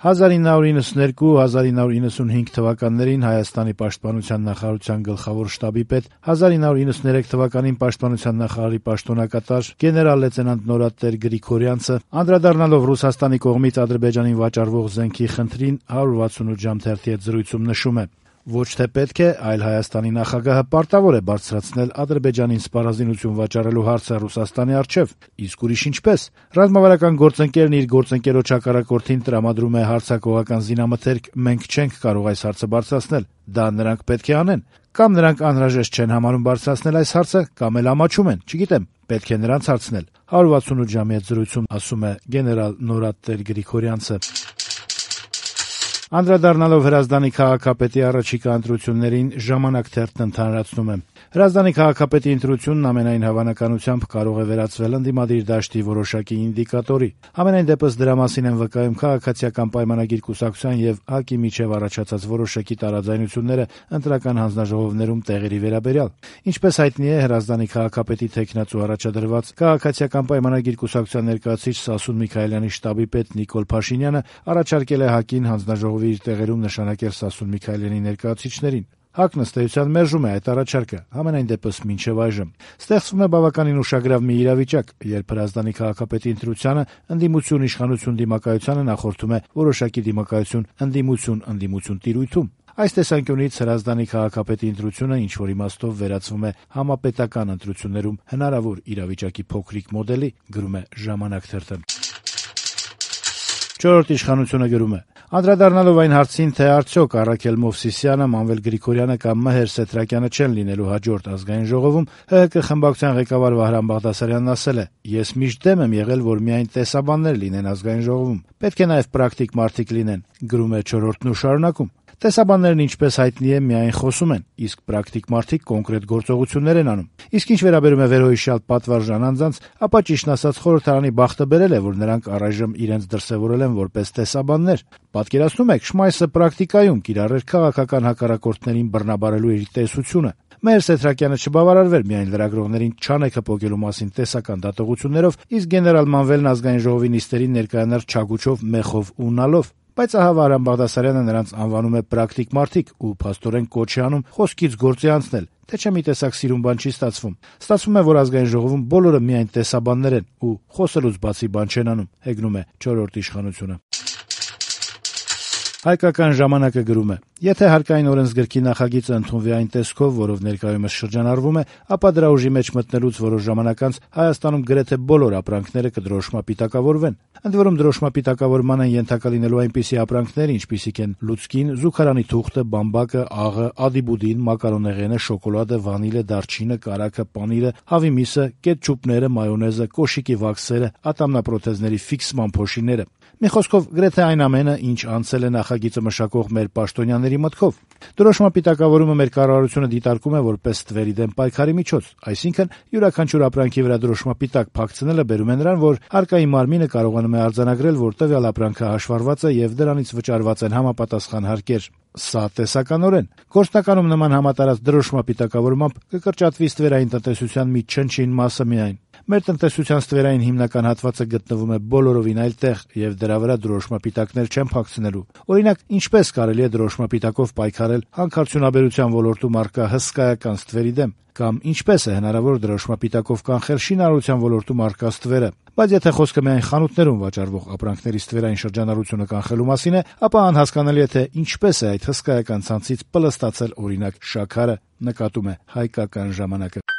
1992-1995 թվականներին Հայաստանի պաշտպանության նախարարության գլխավոր շտաբի պետ, 1993 թվականին պաշտպանության նախարարի պաշտոնակատար գեներալ լեյտենանտ Նորատեր Գրիգորյանցը, անդրադառնալով Ռուսաստանի կողմից Ադրբեջանին վաճառվող զենքի խնդրին, 168 ժամ թերթի հետ զրույցում նշում է. «Ոչ թե պետք է, այլ Հայաստանի նախագահը պարտավոր է բարձրացնել Ադրբեջանին սպառազինություն վաճառելու հարցը Ռուսաստանի առջև, իսկ ուրիշ ինչպես։ Ռազմավարական գործընկերն իր գործընկերոջ հակառակորդին տրամադրում է հարձակողական զինամթերք, մենք չենք կարող այս հարցը բարձրացնել, դա նրանք պետք է անեն։ Կամ նրանք անհրաժեշտ չեն համարում բարձրացնել այս հարցը, կամ էլ ամաչում են, չգիտեմ, պետք է նրանց հարցնել», 168 ժամի հետ զրույցում ասում է գեներալ Նորատեր Գրիգորյանցը։ Անդրադառնալով Հրազդանի քաղաքապետի առաջիկա ընտրություններին, «Ժամանակ» թերթն ընդհանրացնում է. Հրազդանի քաղաքապետի ընտրությունն ամենայն հավանականությամբ կարող է վերածվել ընդդիմադիր դաշտի որոշակի ինդիկատորի։ Համենայն դեպս դրա մասին են վկայում քաղաքացիական պայմանագիր կուսակցության եւ ՀԱԿ-ի միջև առաջացած որոշակի տարաձայնությունները ընտրական հանձնաժողովներում տեղերի վերաբերյալ։ Ինչպես հայտնի է, Հրազդանի քաղաքապետի թեկնածու առաջադրված քաղաքացիական պայմանագիր կուսակցության ներկայացուցիչ Սասուն Միքայելյանի շտաբի պետ Նիկոլ Փաշինյանը առաջարկել է ՀԱԿ-ին հանձնաժողովի իր տեղերում նշանակել Սասուն Միքայելյանի ներկայացուցիչներին։ ՀԱԿ-ն ըստ էության մերժում է այդ առաջարկը, համենայն դեպս մինչև այժմ։ Ստեղծվում է բավականին ուշագրավ մի իրավիճակ, երբ Հրազդանի քաղաքապետի ընտրությանը ընդդիմություն-իշխանություն դիմակայությանը նախորդում է որոշակի դիմակայություն-ընդդիմություն տիրույթում։ Այս տեսանկյունից Հրազդանի քաղաքապետի ընտրությունը ինչ-որ իմաստով վերածվում է համապետական ընտրություններում հնարավոր իրավիճակի փոքրիկ մոդելի, գրում է «Ժամանակ» թերթը։ «Չորրորդ իշխանությունը» գրում է. Անդրադառնալով այն հարցին, թե արդյոք Առաքել Մովսիսյանը, Մանվել Գրիգորյանը կամ Մհեր Սեթրակյանը չեն լինելու հաջորդ ազգային ժողովում, ՀՀԿ խմբակցության ղեկավար Վահրամ Բաղդասարյանն ասել է. «Ես միշտ դեմ եմ եղել, որ միայն տեսաբաններ լինեն ազգային ժողովում, պետք է նաև պրակտիկ մարդիկ լինեն», գրում է «Չորրորդն» ու շարունակում. «Տեսաբաններն, ինչպես հայտնի է, միայն խոսում են, իսկ պրակտիկ մարդիկ կոնկրետ գործողություններ են անում։ Իսկ ինչ վերաբերում է վերոհիշյալ պատվարժան անձանց, ապա ճիշտն ասած խորհրդարանի բախտը բերել է, որ նրանք առայժմ իրենց դրսևորել են որպես տեսաբաններ։ Պատկերացնում եք, Շմայսը պրակտիկայում կիրառեր քաղաքական հակառակորդներին բռնաբարելու իր տեսությունը։ Մհեր Սեթրակյանը չբավարարվեր միայն լրագրողներին չանեքը պոկելու մասին տեսական դատողություններով, իսկ գեներալ Մանվելն ազգային ժողովի նիստերին ներկայանար չագուչով, մեխով ու նալով։ Բայց ահա Վահրամ Բաղդասարյանը նրանց անվանում է պրակտիկ մարդիկ ու փաստորեն կոչ է անում խոսքից գործի անցնել, թե չէ մի տեսակ սիրուն բան չի ստացվում։ Ստացվում է, որ ազգային ժողովում բոլորը միայն տեսաբաններ են ու խոսելուց բացի բան չեն անում», հեգնում է «Չորրորդ իշխանությունը»։ Հայկական ժամանակը գրում է. «Եթե հարկային օրենսգրքի նախագիծը ընդունվի այն տեսքով, որով ներկայումս շրջանառվում է, ապա դրա ուժի մեջ մտնելուց որոշ ժամանակ անց Հայաստանում գրեթե բոլոր ապրանքները կդրոշմապիտակավորվեն։ Ընդ որում դրոշմապիտակավորման են ենթակա լինելու այնպիսի ապրանքներ, ինչպիսիք են լուցկին, զուգարանի թուղթը, բամբակը, աղը, ադիբուդին, մակարոնեղենը, շոկոլադը, վանիլը, դարչինը, կարագը, պանիրը, հավի միսը, կետչուպները, մայոնեզը, կոշիկի վաքսերը, ատամնապրոթեզների ֆիքսման փոշիները։ Մի խոսքով, գրեթե այն ամենը, ինչ անցել է նախագիծը մշակող մեր պաշտոնյաների մտքով։ Դրոշմապիտակավորումը մեր կառավարությունը դիտարկում է որպես ստվերի դեմ պայքարի միջոց, այսինքն յուրաքանչյուր ապրանքի վրա դրոշմապիտակ փակցնելը բերում է նրան, որ հարկային մարմինը կարողանում է արձանագրել, որ տվյալ ապրանքը հաշվառված է եւ դրանից վճարված են համապատասխան հարկեր։ Սա տեսականորեն։ Գործնականում նման համատարած դրոշմապիտակավորմամբ կկրճատվի ստվերային տնտեսության մի չնչին մասը միայն։ Մեր տնտեսության ստվերային հիմնական հատվածը գտնվում է բոլորովին այլ տեղ, եւ դրա վրա դրոշմապիտակներ չեն փակցնելու։ Օրինակ, ինչպես կարելի է դրոշմապիտակով պայքարել հանքարդյունաբերության ոլորտում առկա հսկայական ստվերի դեմ, կամ ինչպես է հնարավոր դրոշմապիտակով կանխել շինարարության ոլորտում առկա ստվերը։ Բայց եթե խոսքը միայն խանութներում վաճառվող ապրանքների ստվերային շրջանառությունը կանխելու մասին է, ապա անհասկանալի է, թե ինչպես է այդ հսկայական ցանցից պլստացել օրինակ շաքարը, նկատում է Հայկական ժամանակը։